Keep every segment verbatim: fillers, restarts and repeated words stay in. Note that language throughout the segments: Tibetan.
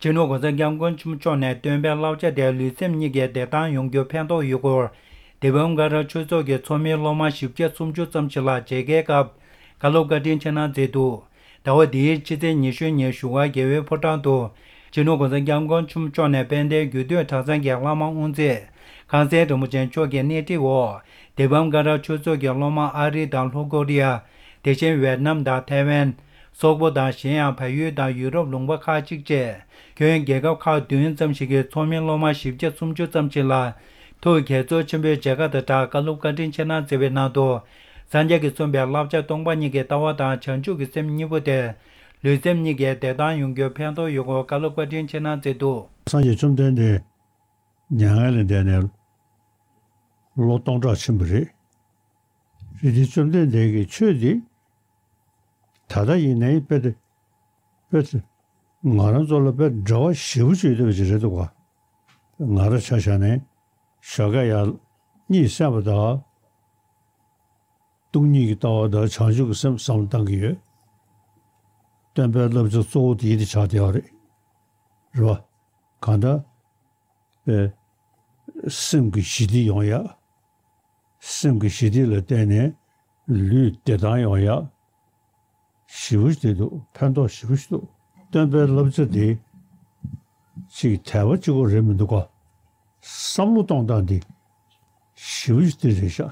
སྤྱི་ནོར་༸གོང་ས་༸སྐྱབས་མགོན་ཆེན་པོ་མཆོག་ནས་སྟོན་པའི་བསླབ་བྱ་དེ་ལུས་སེམས་གཉིས་ཀའི་བདེ་ཐང་ཡོང་རྒྱུར་ཕན་ཐོགས་ཡོད་སྐོར། དི་བམ་ཀ་ར་ཆོས་ཚོགས་ཀྱི་ཚོགས་མིའི་སློབ་མ་བཞི་བརྒྱ་སུམ་ཅུ་ཙམ་ཞིག་ལ་མཇལ་ཁའི་སྐབས་བཀའ་སློབ་བཀའ་དྲིན་ཆེ་གནང་མཛད་འདུག་ཟླ་བ་འདིའི་ཕྱི་ཚེས་ཉི་ཤུ་ཉིན་བཞུགས་སྒར་རྒྱལ་བའི་ཕོ་བྲང་དུ་སྤྱི་ནོར་༸གོང་ས་༸སྐྱབས་མགོན་ཆེན་པོ་མཆོག་ནས་དཔལ་ལྡན་རྒྱུད་སྟོད་གྲྭ་ཚང་གི་བླ་མ་དབུ་མཛད་ཁང་གསར་རིན་པོ་ཆེ་མཆོག་གི་སྣེ་ཁྲིད་འོག་དི་བམ་ཀ་ར་ཆོས་ཚོགས་ཀྱི་སློབ་མ་ཨ་རི་དང་ལྷོ་ཀོ་རི་ཡ། དེ་བཞིན་ཝེད་ནམ་དང་ཐའེ་ཝན། སོག་པོ་དང་གཞན་ཡང་བལ་ཡུལ་དང་ཡུ་རོབ་ལུང་པ་ཁག་ཅིག་བཅས་ཁྱོན་རྒྱལ་ཁབ་ཁག་བདུན་ཙམ་ཞིག་གི་ཚོགས་མི་སློབ་མ་བཞི་བརྒྱ་སུམ་ཅུ་ཙམ་ཞིག་ལ་ཐུགས་དགྱེས་ཚོར་ཆེན་པོས་མཇལ་ཁ་དང་སྦྲགས་བཀའ་སློབ་བཀའ་དྲིན་ཆེ་གནང་མཛད་པའི་ནང་དུ། སངས་རྒྱས་ཀྱིས་གསུངས་པའི་བསླབ་བྱ་སྟོང་པ་ཉིད་ཀྱི་ལྟ་བ་དང་བྱང་ཆུབ་ཀྱི་སེམས་གཉིས་པོ་དེ་ལུས་སེམས་གཉིས་ཀའི་བདེ་ཐང་ཡོང་རྒྱུར་ཕན་ཐོགས་ཡོད་སྐོར་བཀའ་སློབ་བཀའ་དྲིན་ཆེ་གནང་མཛད་འདུག་སངས་རྒྱས་བཅོམ་ལྡན་འདས་མྱ་ངན་ལས་འདས་ནས་ལོ་སྟོང་ཕྲག་ཕྱིན་པ་རེད། རེད་དེ་བཅོམ་ལྡན་འདས་ཀྱི་ཆོས་འདི་ད་ལྟ་ཡིན་ནའི་དཔེ་དེ་དཔེ་དེ་ང་རང་ཚོ་ལ་དཔེ་འབྲེལ་བ་ཞེ་པོ་ཅིག་ཡོད་པ་ཅིག་རེད་འདུག་ག་ང་རང་ཆ་བཞག་ནས་ཞོགས་ཀས་ཡར་གཉིད་སད་པ་དང་སྟོང་ཉིད་ཀྱི་ལྟ་བ་དང་བྱང་ཆུབ་ཀྱི་སེམས་བསམ་བློ་བཏང་གི་ཡོད། སྟོན་པའི་བསླབ་བྱ་གཙོ་བོ་དེ་ཡིད་དུ་ཆགས་བསྡད་པ་རེད། རེད་བ། གང་ལྟར། པའི་སེམས་ཀྱི་ཞི་བདེ་ཡོང་ཡ། སེམས་ཀྱི་ཞི་བདེ་ལ་བརྟེན་ནས་ལུས་བདེ་ཐང་ཡོང་ཡ། ཞེ་པོ་ཞིག་འདུག་ཕན་ཐོགས་ཞེ་པོ་ཞིག་འདུག་སྟོན་པའི་བསླབ་བྱ་དེ་ཅིག་དལ་བ་གཅིག་པོ་རེད་མི་འདུག་ག་བསམ་བློ་གཏོང་སྟངས་དེ་ཞེ་པོ་ཞིག་དེ་རེད་ཤག་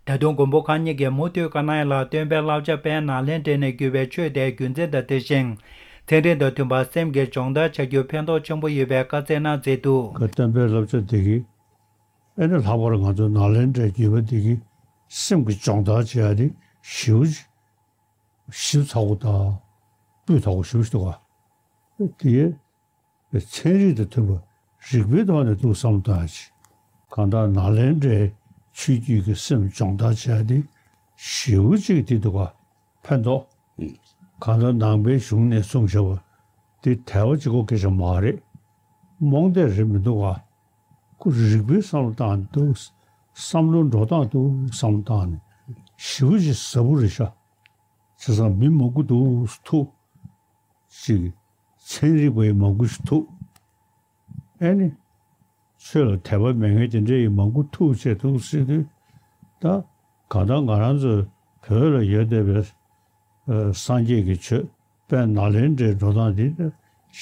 ད་དུང་མགོན་པོ་གང་ཉིད་ཀྱིས་མུ་མཐུད་བཀའ་གནང་ཡ་ལ་སྟོན་པའི་བསླབ་བྱ་དཔལ་ནཱ་ལེནྡྲ་ནས་བརྒྱུད་པའི་ཆོས་དེ་རྒྱུ་མཚན་དང་དེ་བཞིན་ཚན་རིག་དང་མཐུན་པར་སེམས་ཀྱི་སྦྱོང་བརྡར་བྱ་རྒྱུར་ཕན་ཐོགས་ཆེན་པོ་ཡོད་པའི་བཀའ་སྩལ་གནང་མཛད་འདུག་སྟོན་པའི་བསླབ་བྱ་དེ་གིས་ཨེ་ནི་ལྷག་པར་ང་ཚོ་ནཱ་ལེནྡྲའི་བརྒྱུད་པ་དེ་གིས་སེམས་ཀྱི་སྦྱོང་བརྡར་བྱེད་ཡ་དེ་ཞེ་པོ་ཞིབ་ཚགས་པོ་དང་སྤུས་དག་པོ་ཞེ་པོ་ཞིག་འདུག་ག་དེ་ཚན་རིག་དང་མཐུན་པ་རིགས་པའི་ཐོག་ནས་འདུག་བསམ་བློ་བཏང་ཡ་ཅིག་གང་ལྟར་ནཱ་ལེནྡྲའི་ཆོས་བརྒྱུད་ཀྱི་སེམས་སྦྱོང་བརྡར་བྱེད་ཡ་དེ་ཞེ་པོ་ཅིག་དེ་འདུག་ག་ཕན་ཐོགས། གང་ལྟར་ནང་པའི་གཞུང་ནས་གསུངས་བཞག་པ་དེ་དལ་བ་གཅིག་པོ་སྐད་ཆ་མ་རེད། རྨོངས་དད་རེད་མི་འདུག་ག་ཁོ་རིགས་པའི་བསམ་བློ་བཏང་འདུག་བསམ་བློ་འགྲོ་སྟངས་འདུག་བསམ་བློ་བཏང་ནས་ཞེ་པོ་ཅིག་ཟབ་པོ་རེད་ཤག་བྱས་ཙང་མི་མང་པོ་འདུག་ཐུག་ཅིག་ཚན་རིག་པ་ཡི་མང་པོ་ཞིག་ཐུག་ཨེ་ནི། ཆོས་ལ་དད་པ་མེད་མཁན་དེ་འདྲ་ཡི་མང་པོ་ཐུག་བྱས་འདུག་ཟེར་དུས། ད་གང་ལྟར་ང་རང་ཚོའི་བོད་ལ་ཡོད་བསྡད་པའི་སངས་རྒྱས་ཀྱི་ཆོས་དཔལ་ནཱ་ལེནྡྲའི་འགྲོ་སྟངས་འདི་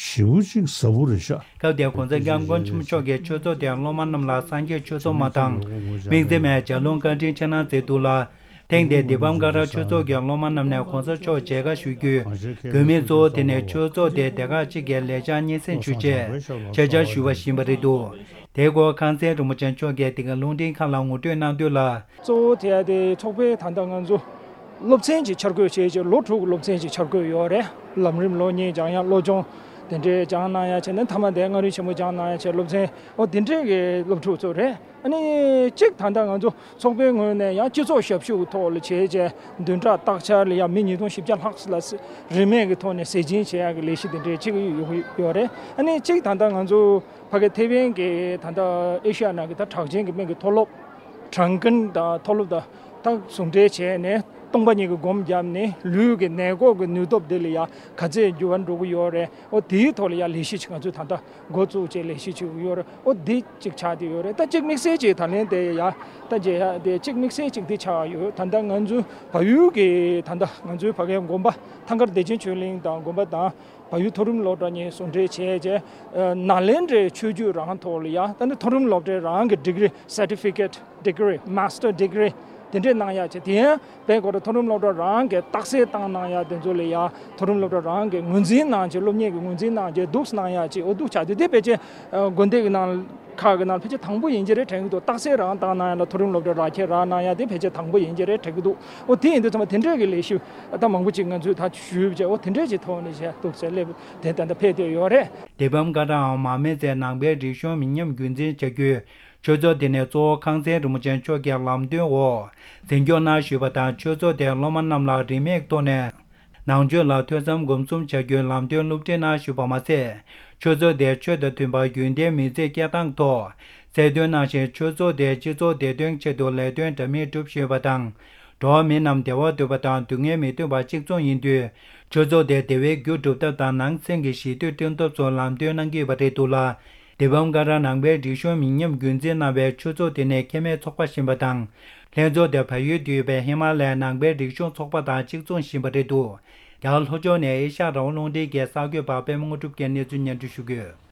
ཞེ་པོ་ཅིག་ཟབ་པོ་རེད་ཤག་སྐབས་དེར་༸གོང་ས་༸སྐྱབས་མགོན་ཆེན་པོ་མཆོག་གིས་ཆོས་ཚོགས་དེའི་སློབ་མ་རྣམས་ལ་སངས་རྒྱས་ཆོས་ཚོགས་མ་དང་། དམིགས་བརྩེ་མའི་ལྗགས་ལུང་བཀའ་དྲིན་ཆེ་གནང་མཛད་འདུག་ལ། ཐེངས་འདིར་དི་བམ་ཀ་ར་ཆོས་ཚོགས་ཀྱི་སློབ་མ་རྣམས་ནས་༸གོང་ས་མཆོག་མཇལ་ཁ་ཞུ་རྒྱུའི་དགོས་དམིགས་གཙོ་བོ་དེ་ནི་ཆོས་ཚོགས་དེའི་སྡེ་ཁག་གཅིག་གི་ལས་འཆར་སྙན་སེང་ཞུ་ཆེད་ཆེད་བཅར་ཞུས་པ་ཡིན་པ་རེད་འདུག་དེའི་སྐོར་ཁང་གསར་རིན་པོ་ཆེ་མཆོག་གིས་འདི་ག་རླུང་འཕྲིན་ཁང་ལ་ངོ་སྤྲོད་གནང་དོན་ལ། གཙོ་བོ་དེ་ཡང་དེ་ཚོགས་པའི་ད་ལྟ་ང་ཚོ་སློབ་ཚན་གྱི་འཆར་འགོད་བྱས་རྗེས་ལོ་དྲུག་གི་སློབ་ཚན་གྱི་འཆར་འགོད་ཡོད་རེད། ལམ་རིམ་ལོ་གཉིས་སྦྱང་ཡ་སློབ་སྦྱོང་དེ་འདྲའི་སྦྱང་གནང་ཡ་བྱས་ནས་མཐའ་མ་དེ་མངའ་རིས་ཆེན་མོ་སྦྱང་གནང་ཡ་བྱས་སློབ་ཚན་འོ་དེ་འདྲའི་གི་སློབ་ཕྲུག་ཚོ་རེད། ཨ་ནི་གཅིག་ད་ལྟ་ང་ཚོ་ཚོགས་པའི་ངོས་ནས་ཡང་སྤྱི་ཚོགས་ཞབས་ཞུ་གི་ཐོག་ལ་བྱས་རྗེས་བདུན་ཕྲག་སྟག་འཆར་ལ་ཡང་མི་ཉིས་སྟོང་བཞི་བརྒྱ་ལྷག་ལ་རིན་མེད་ཀྱི་ཐོག་ནས་ཟས་སྦྱིན་བྱེད་ཡག་གི་ལས་གཞི་དེ་འདྲའི་གཅིག་ཡོད་རེད། ཨ་ནི་གཅིག་ད་ལྟ་ང་ཚོ་ཕ་གི་ཐེ་ཝན་གྱི་ད་ལྟ་ཨེ་ཤ་ཡ་ནང་གི་ད་གྲགས་ཅན་གྱི་སྨན་གྱི་མཐོ་སློབ་གྲངས་ཀུན་དང་མཐོ་སློབ་དང་ད་ཟུང་འབྲེལ་བྱས་ནས་སྟོང་པ་ཉིད་ཀྱི་སྒོམ་བརྒྱབ་ནས་ལུས་ཀྱི་ནད་འགོག་གི་ནུས་སྟོབས་དེ་ལ་ཡང་ག་ཚད་འགྱུར་བ་འགྲོ་གི་ཡོད་རེད། ཨོ་དེའི་ཐོག་ལ་ཡང་ལས་གཞི་ཅིག་ང་ཚོས་ད་ལྟ་འགོ་བཙུགས་བྱས་ལས་གཞི་ཅིག་ཡོད་རེད། ཨོ་འདི་གཅིག་ཆགས་བསྡད་ཡོད་རེད། ད་གཅིག་དམིགས་བསལ་གྱི་ད་ལན་དེ་ཡ་ད་མཇལ་ཡ་དེ་གཅིག་དམིགས་བསལ་གཅིག་འདི་ཆགས་ཡོད། ད་ལྟ་ང་ཚོའི་བལ་ཡུལ་གྱི་ད་ལྟ་ང་ཚོའི་ཕ་གའི་དགོན་པ་ཐང་དཀར་བདེ་ཆེན་ཆོས་གླིང་དང་དགོན་པ་དང་བལ་ཡུལ་མཐོ་རིམ་སློབ་གྲྭ་གཉིས་ཟུང་འབྲེལ་བྱས་རྗེས་ནཱ་ལེནྡྲའི་ཆོས་བརྒྱུད་རང་ཐོག་ལ་ཡ་ད་ནི་མཐོ་རིམ་སློབ་གྲྭའི་རང་གི་ཌིག་རི་certificate degree master degree དེ་འདྲས་གནང་ཡག་བྱས། དེ་ཡང་དཔལ་གོ་ར་མཐོ་རིམ་སློབ་གྲྭ་རང་གི་རྟགས་གསལ་བཏང་གནང་ཡག་དེ་ཚོ་ལ་ཡང་མཐོ་རིམ་སློབ་གྲྭ་རང་གི་ངོས་འཛིན་གནང་བྱས་སློབ་གཉེར་གྱི་ངོས་འཛིན་གནང་བྱས་འདུག་གནང་ཡག་ཅིག་འོ་འདུག་ཆགས་དུས་དེ་ཕལ་ཆེར་དགོན་སྡེ་གི་ནང་ཁག་གི་ནང་ཕལ་ཆེར་དང་པོ་ཡིན་གྱི་རེད་དྲན་གྱི་འདུག་རྟགས་གསལ་རང་བཏང་གནང་ཡག་ལ་མཐོ་རིམ་སློབ་གྲྭ་རག་ཁྱེར་རག་གནང་ཡག་དེ་ཕལ་ཆེར་དང་པོ་ཡིན་གྱི་རེད་དྲན་གྱི་འདུག་འོ་དེ་ཡིན་དུས་ཚང་མ་དེ་འདྲས་ཀྱི་ལས་གཞི་ད་མང་པོ་ཅིག་ང་ཚོས་ད་ཞུས་བྱས་འོ་དེ་འདྲས་ཀྱི་ཐོག་ནས་བྱས་འདུག་ཟེར་སླེབས་དེ་ད་ལྟ་ཕེབས་བསྡད་ཡོད་རེད། དེ་བམ་ཀ་རའམ་མར་མེ་མཛད་ནང་པའི་རིག་གཞུང་མི་ཉམས་རྒྱུན་འཛིན་བྱ་རྒྱུའི་ཆོས་ཚོགས་དེ་ནས་གཙོ་བོ་ཁང་གསར་རིན་པོ་ཆེ་མཆོག་གི་ལམ་སྟོན་འོག་འཛིན་སྐྱོང་གནང་བཞུགས་པ་དང་། ཆོས་ཚོགས་དེའི་སློབ་མ་རྣམས་ལ་རིན་མེད་ཐོག་ནས་ནང་ཆོས་ལ་ཐོས་བསམ་སྒོམ་གསུམ་བྱ་རྒྱུའི་ལམ་སྟོན་སློབ་ཁྲིད་གནང་བཞུགས་པ་མ་ཟད། ཆོས་ཚོགས་དེའི་ཆོས་དང་མཐུན་པར་རྒྱུན་ལྡན་མི་ཚེ་སྐྱེལ་སྟངས་ཐོག་གསལ་སྟོན་གནང་ཞིང་། ཆོས་ཚོགས་དེའི་སྤྱི་ཚོགས་བདེ་དོན་ཆེད་དུ་ལས་དོན་འདྲ་མིན་བསྒྲུབས་བཞིན་ཡོད་པ་དང་། འགྲོ་བ་མི་རྣམས་བདེ་བ་འདོད་པ་དང་སྡུག་བསྔལ་མི་འདོད་པ་གཅིག་མཚུངས་ཡིན་དུས། ཆོས་ཚོགས་དེ་བདེ་བའི་རྒྱུ་སྒྲུབ་ཐབས་དང་ནང་སེམས་ཀྱི་ཞི་དུལ་བསྐྲུན་ཐབས་སོགས་ལམ་སྟོན་གནང་གི་ཡོད་པ་རེད་འདུག་ལ། དེ་བའམ་ཀ་ར་ནང་པའི་རིག་གཞུང་མི་ཉམས་རྒྱུན་འཛིན་གནང་བའི་ཆོས་ཚོགས་དེ་ནི་ཁེ་མེད་ཚོགས་པ་ཞིག་ཡིན་པ་དང་། ལྷན་ཚོགས་དེ་བལ་ཡུལ་དུ་ཡོད་པའི་ཧི་མ་ལ་ཡའི་ནང་པའི་རིག་གཞུང་ཚོགས་པ་དང་གཅིག་མཚུངས་ཡིན་པ་རེད་འདུག་རྒྱ་གར་ལྷོ་ཕྱོགས་ནས་ཨེ་ཤ་ཡ་རང་དབང་རླུང་འཕྲིན་གྱི་གསར་འགོད་པ་པད་མ་དངོས་གྲུབ་ཀྱིས་གནས་ཚུལ་སྙན་སྒྲོན་ཞུ་གི་ཡོད།